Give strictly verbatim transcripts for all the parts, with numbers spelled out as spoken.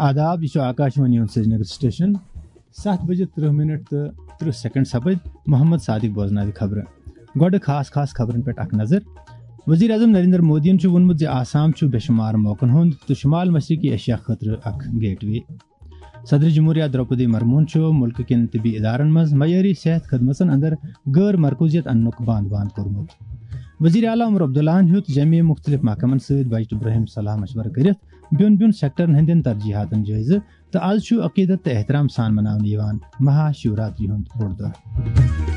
آداب، یہِ چھُ آکاشوانی ہُنٛد سرینگر سٹیشن۔ ستھ بجے ترٕہ منٹ تہٕ ترٕہ سیکنڈ سپٕدۍ۔ محمد صادق بوزناوِ خبرٕ۔ گۄڈٕ خاص خاص خبرن پٮ۪ٹھ اکھ نظر۔ وزیر اعظم نریندر مودیَن چھُ ووٚنمُت زِ آسام چھُ بے شمار موقعن ہُنٛد تہٕ شمال مشرقی ایشیا خٲطرٕ اکھ گیٹ وے۔ صدر جمہوریہ درپدی مرموہن چھُ ملکہٕ کٮ۪ن طبی ادارن منٛز معیٲری صحت خدمژن اندر غٲر مرکوزیت اننُک بند بند کوٚرمُت۔ وزیر اعلیٰ عمر عبداللہن ہیوٚت جمعی مختلف محکمن سۭتۍ بجٹہٕ برٛونٛہِم صلاح مشورٕ کٔرِتھ بیوٚن بیوٚن سیکٹرن ہٕنٛدٮ۪ن ترجیحاتن جٲیزٕ، تہٕ از چھُ عقیدت تہٕ احترام سان مناونہٕ یِوان مہا شیوراتری ہُنٛد بوٚڑ دۄہ۔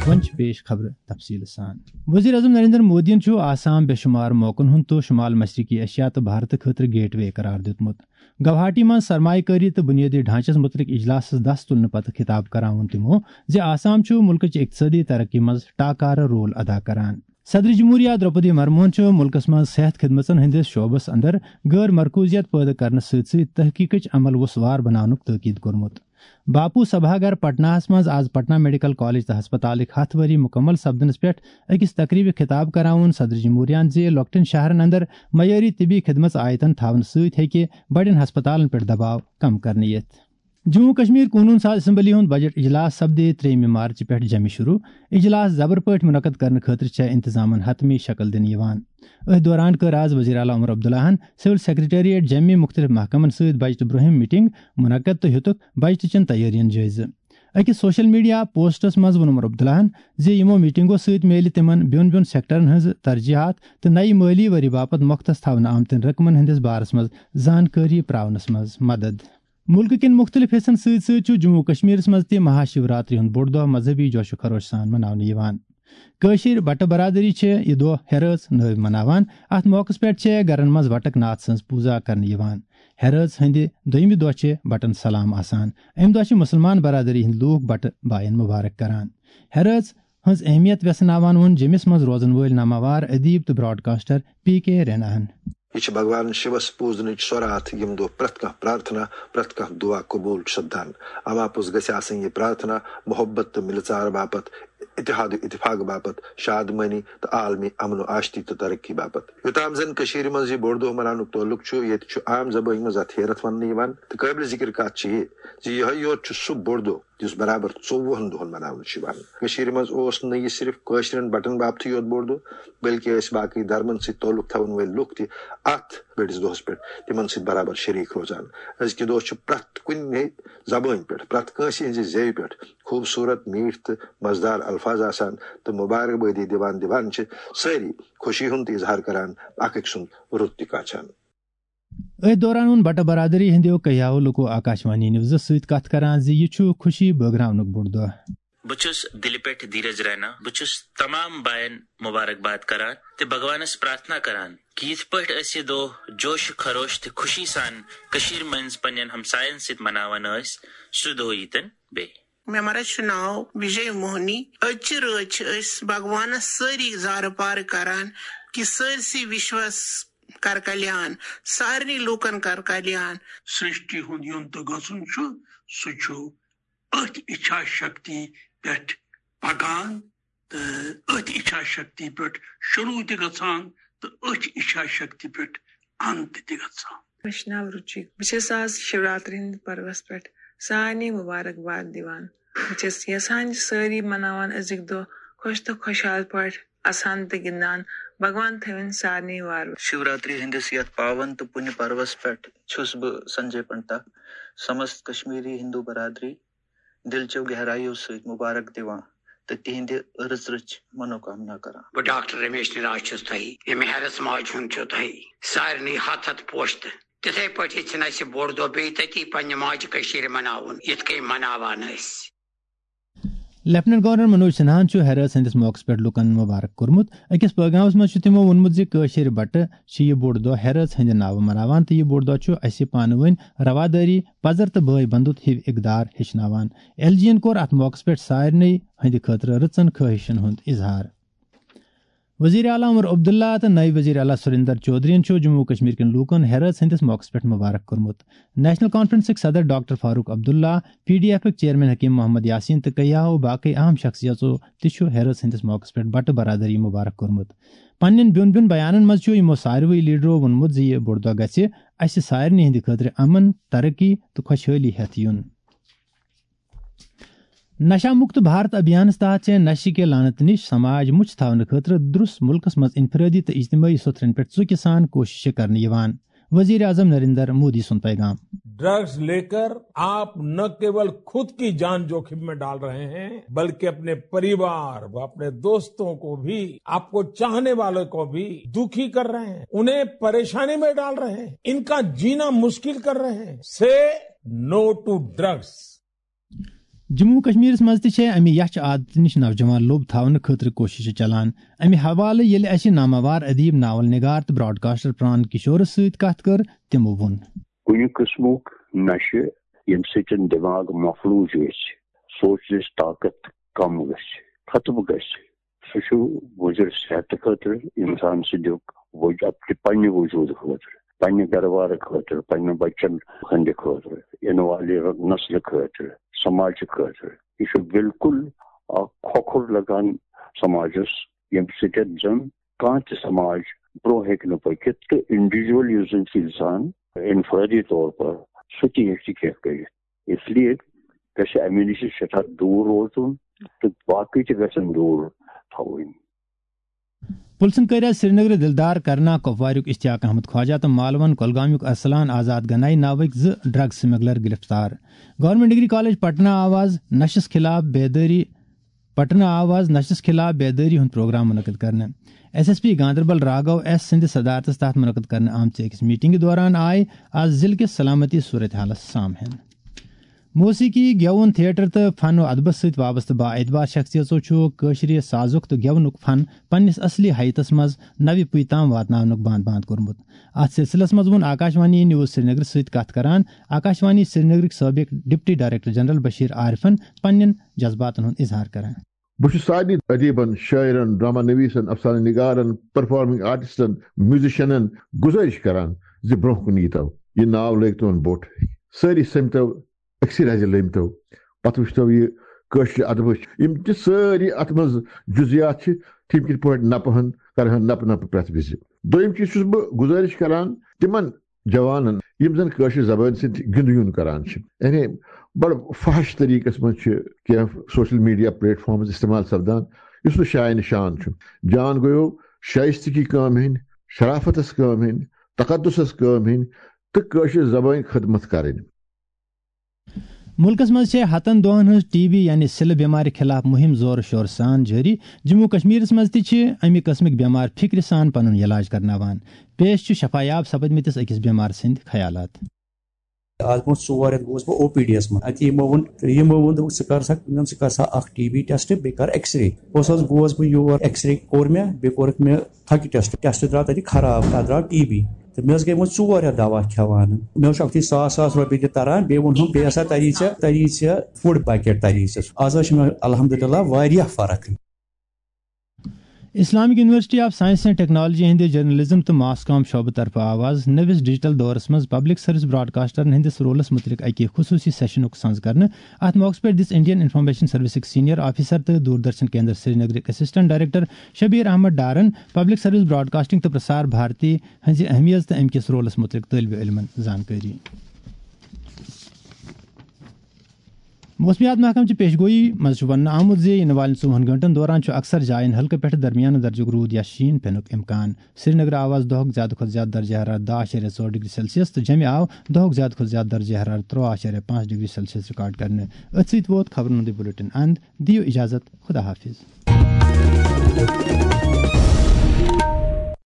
وۄنۍ چھِ پیش خبرٕ تفصیٖل سان۔ وزیر اعظم نریندر مودیَن چھُ آسام بے شمار موقعن ہُنٛد تہٕ شمال مشرقی ایشیا تہٕ بھارتہٕ خٲطرٕ گیٹ وے قرار دیُتمُت۔ گوہاٹی منٛز سرمایہ کٲری تہٕ بنیٲدی ڈھانچس متعلق اجلاسس دس تُلنہٕ پتہٕ خطاب کران ووٚن تِمو زِ آسام چھُ مُلکٕچ اقتصٲدی ترقی منٛز ٹاکارٕ رول ادا کران۔ صدر جمہوریہ درپدی مرموہن چھُ مُلکس منٛز صحت خدمژن ہٕنٛدِس شعبس اندر غٲر مرکوزیت پٲدٕ کرنہٕ سۭتۍ سۭتۍ تحقیقٕچ عمل وسوار بناونُک تٲکید کوٚرمُت۔ باپو سبھا گھر پٹناہس منٛز آز پٹنہ میڈیکل کالج تہٕ ہسپتالٕکۍ ہتھ ؤری مکمل سپدنس پٮ۪ٹھ أکِس تقریبہِ خطاب کران ووٚن صدر جمہوریہن زِ لۄکٹٮ۪ن شہرن اندر معیٲری طبی خدمژ آیتن تھاونہٕ سۭتۍ ہیٚکہِ بڑٮ۪ن ہسپتالن پٮ۪ٹھ دباو کم کرنہٕ یِتھ۔ جموں و کشمیر قونون ساز اسمبلی ہُنٛد بجٹ اجلاس سپدِ ترٛیٚیِمہِ مارچہِ پٮ۪ٹھ جمہِ شروع۔ اجلاس زبر پٲٹھۍ منعقد کرنہٕ خٲطرٕ چھےٚ انتظامن حتمی شکل دِنہٕ یِوان۔ أتھۍ دوران کٔر آز وزیر اعلیٰ عمر عبداللہن سول سیکرٹریٹ جمہِ مُختلف محکمن سۭتۍ بجٹہٕ برٛونٛہِم میٹنگ منعقد تہٕ ہیوٚتُکھ بجٹہٕ چٮ۪ن تیٲرین جٲیزٕ۔ أکِس سوشل میڈیا پوسٹس منٛز ووٚن عمر عبداللہن زِ یِمو میٹنگو سۭتۍ میلہِ تِمن بیوٚن بیوٚن سیکٹرن ہٕنٛز ترجیحات تہٕ نَیہِ مٲلی ؤری باپتھ مۄختس تھاونہٕ آمتٮ۪ن رقمن ہٕنٛدِس بارس منٛز زانکٲری پراونس منٛز مدد۔ مُلکہٕ کٮ۪ن مُختٔلِف حصن سۭتۍ سۭتۍ چھُ جموں و کشمیرس منٛز تہِ مہا شیوراتری ہُنٛد بوٚڑ دۄہ مذہبی جوش و خروش سان مناونہٕ یِوان۔ کٲشِر بٹہٕ برادری چھِ یہِ دۄہ ہیرٲژ نٲوۍ مناوان۔ اَتھ موقعس پٮ۪ٹھ چھِ گرن منٛز وٹک ناتھ سٕنٛز پوٗزا کرنہٕ یِوان۔ ہیرٲژ ہٕنٛدِ دوٚیمہِ دۄہ چھِ بٹن سلام آسان۔ اَمہِ دۄہ چھِ مُسلمان برادری ہٕنٛدۍ لوٗکھ بٹہٕ باین مُبارک کران۔ ہیرٲژ ہٕنٛز اہمیت ویژھناوان ووٚن جیٚمِس منٛز روزن وٲلۍ ناماوار ادیب تہٕ براڈکاسٹر پی کے ریناہن۔ یہِ چھِ بھگوان شِوس پوٗزنٕچ سۄ راتھ، ییٚمہِ دۄہ پرٛٮ۪تھ کانٛہہ پرٛارتھنا، پرٛٮ۪تھ کانٛہہ دُعا قبوٗل چھُ سپدان۔ اَماپوٚز گژھِ آسٕنۍ یہِ پرٛارتھنا محبت تہٕ مِلہٕ ژار باپتھ، اتحاد و اتفاق باپتھ، شادمٲنی تہٕ عالمی امن و آشتی تہٕ ترقی باپتھ۔ یوٚتام زن کٔشیٖرِ منٛز یہِ بوٚڑ دۄہ مناونُک تعلق چھُ، ییٚتہِ چھُ عام زبٲنۍ منٛز اتھ ہیرتھ وننہٕ یِوان تہٕ قٲبلِ ذِکر کتھ چھِ یہِ زِ یِہوٚے یوت چھُ سُہ بوٚڑ دۄہ یُس برابر ژوٚوُہن دۄہن مناونہٕ چھُ یِوان۔ کٔشیٖرِ منٛز اوس نہٕ یہِ صرف کٲشرٮ۪ن بٹن باپتھٕے یوت بوٚڑ دۄہ، بلکہِ ٲسۍ باقٕے دھرمن سۭتۍ تعلق تھاون وٲلۍ لُکھ تہِ اتھ بٔڑِس دۄہس پٮ۪ٹھ تِمن سۭتۍ برابر شریٖک روزان۔ أزکہِ دۄہ چھُ پرٛٮ۪تھ کُنہِ زبٲنۍ پٮ۪ٹھ، پرٛٮ۪تھ کٲنٛسہِ ہٕنٛزِ زیوِ پٮ۪ٹھ خوٗبصوٗرت، میٖٹھ تہٕ مزٕدار الفاظ آسان تہٕ مبارک بٲدی دِوان دِوان چھِ سٲری خوشی ہُنٛد تہِ اظہار کران، اکھ أکۍ سُنٛد رُت تہِ کاچھان۔ أتھۍ دوران ووٚن بٹہٕ برادری ہٕنٛدیو کیٛاہو لوٗکو آکاشوانی نیوزس سۭتۍ کتھ کران زِ یہِ چھُ خوشی بٲگراونُک بوٚڑ دۄہ۔ بہٕ چھُس دِلہِ پٮ۪ٹھ دھیرج رینا۔ بہٕ چھُس تمام باین مبارکباد کران تہٕ بھگوانس پرارتھنا کران کہِ یِتھ پٲٹھۍ أسۍ یہِ دۄہ جوش خروش تہٕ خوشی سان کٔشیٖرِ منٛز پننٮ۪ن ہمساین سۭتۍ مناوان ٲسۍ، سُہ دۄہ ییٖتن بیٚیہِ۔ مےٚ مَرَس چھُ ناو وِجے موہنی۔ أزچہِ رٲژ چھِ أسۍ بھگوانس سٲری زارٕ پارٕ کران کہِ سٲرسٕے وِشوس کر کلیان، سارنٕے لوٗکن کر کلیان۔ سرٛشٹی ہُنٛد یُن تہٕ گژھُن چھُ، سُہ چھُ أتھۍ اِچھا شکتی پٮ۪ٹھ پکان تہٕ أتھۍ اِچھا شکتی پٮ۪ٹھ شروٗع تہِ گژھان تہٕ أتھۍ اِچھا شکتی پٮ۪ٹھ انت تہِ گژھان۔ مےٚ چھُ ناو رُچی۔ بہٕ چھَس آز شِوراتری ہٕنٛدِ پروَس پٮ۪ٹھ سارنٕے مُبارک باد دِوان۔ بہٕ چھَس یَژھان زِ سٲری مَناوَن أزیُک دۄہ خۄش تہٕ خۄشحال پٲٹھۍ، اَسان تہٕ گِنٛدان۔ بھگوان تھٲوِن سارنٕے وارٕ۔ شِوراتری ہٕنٛدِس یَتھ پاوَن تہٕ پُنہِ پروَس پٮ۪ٹھ چھُس بہٕ سنجے پنڈتا سمست کشمیری ہندو برادری دِلچو گہرایو سۭتۍ مُبارک دِوان تہٕ تِہنٛدِ رٕژ رٕژ منوکامنا کران۔ بہٕ ڈاکٹر رمیش نراج چھُس تۄہہِ، ییٚمہِ ہیرس ماجہِ ہُنٛد چھُ تۄہہِ، سارنٕے ہتھ ہتھ پوشہٕ تہٕ تِتھے پٲٹھۍ یژھِن اسہِ بوٚڑ دۄہ بیٚیہِ تٔتی پننہِ ماجہِ کٔشیٖرِ مناوُن، یِتھ کٔنۍ مناوان ٲسۍ۔ لیفٹیننٹ گورنر منوج سنہاہن چھُ ہیرٲژ ہٕنٛدِس موقعس پٮ۪ٹھ لوٗکن مُبارک کوٚرمُت۔ أکِس پٲغامس منٛز چھُ تِمو ووٚنمُت زِ کٲشِر بٹہٕ چھِ یہِ بوٚڑ دۄہ ہیرٲژ ہٕنٛدِ ناوٕ مناوان تہٕ یہِ بوٚڑ دۄہ چھُ اسہِ پانہٕ ؤنۍ روادٲری، پزر تہٕ بٲے بندُت ہیوۍ اقدار ہیٚچھناوان۔ ایل جی ین کوٚر اتھ موقعس پٮ۪ٹھ سارنٕے ہٕنٛدِ خٲطرٕ رٕژن خٲہشن ہُنٛد اظہار۔ وزیر اعلیٰ عمر عبداللہ تہٕ نٲیِب وزیر اعلیٰ سریندر چودھرین چھُ جموں و کشمیر کٮ۪ن لوٗکن ہیرٲژ ہٕنٛدِس موقعس پٮ۪ٹھ مبارک کوٚرمُت۔ نیشنل کانفرنسٕکۍ صدر doctor Farooq Abdullah, P D ایفٕکۍ چیئرمین حکیم محمد یاسین تہٕ کیاہو باقٕے اہم شخصیژو تہِ چھُ ہیرٲژ ہٕنٛدِس موقعس پٮ۪ٹھ بٹہٕ برادری مبارک کوٚرمُت۔ پننٮ۪ن بیوٚن بیوٚن بیانن منٛز چھُ یِمو ساروٕے لیڈرو ووٚنمُت زِ یہِ بوٚڑ دۄہ گژھِ اسہِ سارنٕے ہٕنٛدِ خٲطرٕ امن، ترقی تہٕ خۄشحٲلی ہٮ۪تھ یُن۔ نشہ مکت بھارت ابھیانس تحت چھِ نشہ کے لعنت نش سماج مُچھ تھاونہٕ خٲطرٕ درُس مُلکس منٛز انفرٲدی تہٕ اجتمٲعی سوٚتھرن پٮ۪ٹھ ژُکہِ سان کوٗششہٕ کرنہٕ یِوان۔ وزیر اعظم نریندر مودی سُنٛد پیغام۔ ड्रग्स लेकर आप न केवल खुद की जान जोखिम में डाल रहे हैं, बल्कि अपने परिवार, अपने दोस्तों को भी, आपको चाहने वालों को भी दुखी कर रहे हैं, उन्हें परेशानी में डाल रहे हैं, इनका जीना मुश्किल कर रहे हैं। से नो टू ड्रग्स। جموں و کشمیرس منٛز تہِ چھےٚ امہِ یچھ عادتہٕ نِش نوجوان لوٚب تھاونہٕ خٲطرٕ کوٗششہٕ چلان۔ امہِ حوالہٕ ییٚلہِ اسہِ ناماوار ادیب، ناول نگار تہٕ براڈکاسٹر پران کشورس سۭتۍ کتھ کٔر، تِمو ووٚن۔ کُنہِ قٕسمُک نشہٕ، ییٚمہِ سۭتۍ دٮ۪ماغ مفلوٗج گژھِ، سونٛچنٕچ طاقت کم گژھِ، ختم گژھِ، سُہ چھُ مُضِر صحتہٕ خٲطرٕ، انسان سٕنٛدِ وج-، پننہِ وجوٗدٕ خٲطرٕ، پننہِ گرٕ بارٕ خٲطرٕ، پننٮ۪ن بچن ہٕنٛدِ خٲطرٕ، ینہٕ والہِ نسلہٕ خٲطرٕ، سماجہٕ خٲطرٕ۔ یہِ چھُ بالکل اکھ کھۄکھُر لگان سماجس، ییٚمہِ سۭتۍ زن کانٛہہ تہِ سماج برٛونٛہہ ہیٚکہِ نہٕ پٔکِتھ تہٕ انڈیویجول یُس زن چھُ انسان انفرٲدی طور پر، سُہ تہِ ہیٚکہِ نہٕ کینٛہہ کٔرِتھ۔ اس لیے گژھِ امہِ نِش سٮ۪ٹھاہ دوٗر روزُن تہٕ باقٕے تہِ گژھن دوٗر تھاوٕنۍ۔ پُلسن کٔرۍ آز سرینگرٕ دِلدار کرنا کۄپواریُک اشتیاق احمد خواجہ تہٕ مالون کۄلگامیُک ارسلان آزاد گنائی ناوٕکۍ زٕ ڈرگ سمگلر گرفتار۔ گورنمنٹ ڈگری کالج پٹنہ آو آز نشس خلاف بیدٲری پٹنہ آو آز نشس خلاف بیدٲری ہُنٛد پروگرام منعقد کرنہٕ۔ S S P Ganderbal Raghu S سٕنٛدِ صدارتس تحت منعقد کرنہٕ آمژِ أکِس میٹنگہِ دوران آیہِ آز ضلعہٕ کِس سلامتی صورتحالس سام ہٮ۪نہٕ۔ موسیقی، گٮ۪وُن، تھیٹر تہٕ فن و ادبس سۭتۍ وابستہٕ بااعتبار شخصیژو چھُ کٲشرِ سازُک تہٕ گٮ۪ونُک فن پننِس اصلی حیتس منٛز نوِ پُیہِ تام واتناونُک باند باند کوٚرمُت۔ اتھ سلسلس منٛز ووٚن آکاشوانی نیوز سرینگرٕ سۭتۍ کتھ کران آکاشوانی سرینگرٕکۍ سٲبق ڈپٹی ڈائریکٹر جنرل بشیر عارفن پننٮ۪ن جذباتن ہُنٛد اظہار کران۔ بہٕ چھُس سارنٕے ادیبن، شٲعرن، ڈرامہ نویسن، افسانہ نگارن، پرفارمنگ آرٹسٹن، میوزیشنن گزٲرش کران زِ برونٛہہ کُن ییٖتو، یہِ ناو لٲگتون بوٚٹھ۔ سٲری سٔمتو، أکسٕے رزِ لٔمتو، پتہٕ وٕچھتو یہِ کٲشرِ ادبٕچ یِم تہِ سٲری اتھ منٛز جزیات چھِ، تِم کِتھ پٲٹھۍ نپہٕ ہن، کرہن نپہٕ نپہٕ پرٛٮ۪تھ وِزِ۔ دوٚیِم چیٖز چھُس بہٕ گزٲرش کران تِمن جوانن، یِم زن کٲشرِ زبٲنۍ سۭتۍ گِنٛدٕ یُن کران چھِ، یعنی بڑٕ فحش طریٖقس منٛز چھِ کینٛہہ سوشل میڈیا پلیٹ فارمز استعمال سپدان، یُس نہٕ شایہِ نشان چھُ۔ جان گوٚیو شایستگی کٲم ہٕنٛدۍ، شرافتس کٲم ہٕنٛدۍ، تقدسس کٲم ہٕنٛدۍ تہٕ کٲشرِ زبٲنۍ خدمت کرٕنۍ۔ مُلکَس منٛز چھےٚ ہَتَن دۄہَن ہٕنٛز ٹی بی یعنی سِلہٕ بٮ۪مارِ خِلاف مُہِم زورٕ شورٕ سان جٲری۔ جموں و کشمیرَس منٛز تہِ چھِ اَمہِ قٕسمٕکۍ بٮ۪مار فِکرِ سان پَنُن علاج کرناوان۔ پیش چھُ شفایاب سپدمٕتِس أکِس بٮ۪مار سٕنٛدۍ خیالات۔ آز برونٛہہ ژور رٮ۪تھ گوس بہٕ او پی ڈی یس منٛز۔ اَتہِ یِمو ووٚن، یِمو ووٚن، دوٚپُکھ، "ژٕ کر سا، ژٕ کر سا اکھ ٹی بی ٹیسٹ، بیٚیہِ کر ایکس رے۔" بہٕ اوسُس، گوس بہٕ یور، ایکس رے کوٚر مےٚ، بیٚیہِ کوٚرُکھ مےٚ تھکہِ ٹیسٹ، ٹیسٹ درٛاو تَتہِ خراب، تَتھ درٛاو ٹی بی۔ تہٕ مےٚ حظ گٔے وۄنۍ ژور رٮ۪تھ دوا کھٮ۪وان۔ مےٚ حظ چھُ اَکھتُے ساس ساس رۄپیہِ تہِ تران، بیٚیہِ ووٚنہُم، "بیٚیہِ ہسا تَری ژےٚ، تَری ژےٚ فُڈ پیکیٹ تَری ژےٚ۔" آز حظ چھِ مےٚ الحمدللہ واریاہ فرق۔ Islamic university of science and technology ہٕنٛدِ جرنلزم تہٕ ماس کام شعبہٕ طرفہٕ آو آز نٔوِس ڈیجیٹل دورس منٛز پبلک سروس براڈکاسٹرن ہٕنٛدِس رولس مُتعلق اکہِ خصوٗصی سیشنُک سنز کرنہٕ۔ اتھ موقعس پٮ۪ٹھ دِژ انڈین انفارمیشن سروسٕکۍ سینئر آفیسر تہٕ دوردرشن کیندر سرینگرٕکۍ اسسٹنٹ ڈائریکٹر شبیر احمد ڈارن پبلک سروس براڈکاسٹنگ تہٕ پرسار بھارتی ہٕنٛزِ اہمیت تہٕ امہِ کِس رولس مُتعلق طٲلبِ علمن زانکٲری۔ موسمیات محکمہٕ چہِ پیشگویی منٛز چھُ وننہٕ آمُت زِ یِنہٕ والٮ۪ن ژوٚوُہن گھنٹن دوران چھُ اکثر جاین ہلکہٕ پٮ۪ٹھٕ درمیانہٕ درجُک روٗد یا شیٖن پٮ۪نُک امکان۔ سرینگرٕ آو آز دۄہُک زیادٕ کھۄتہٕ زیادٕ درجہ حرارت دَہ اَشاریہ ژور ڈگری سیلسیس تہٕ جمہِ آو دۄہُک زیادٕ کھۄتہٕ زیادٕ درجہ حرارت ترٛواہ اَشاریہ پانٛژھ ڈگری سیلسیس ریکارڈ کرنہٕ۔ أتھۍ سۭتۍ ووت خبرن ہُنٛد یہِ بُلیٹن اند۔ دِیِو اجازت، خدا حافظ۔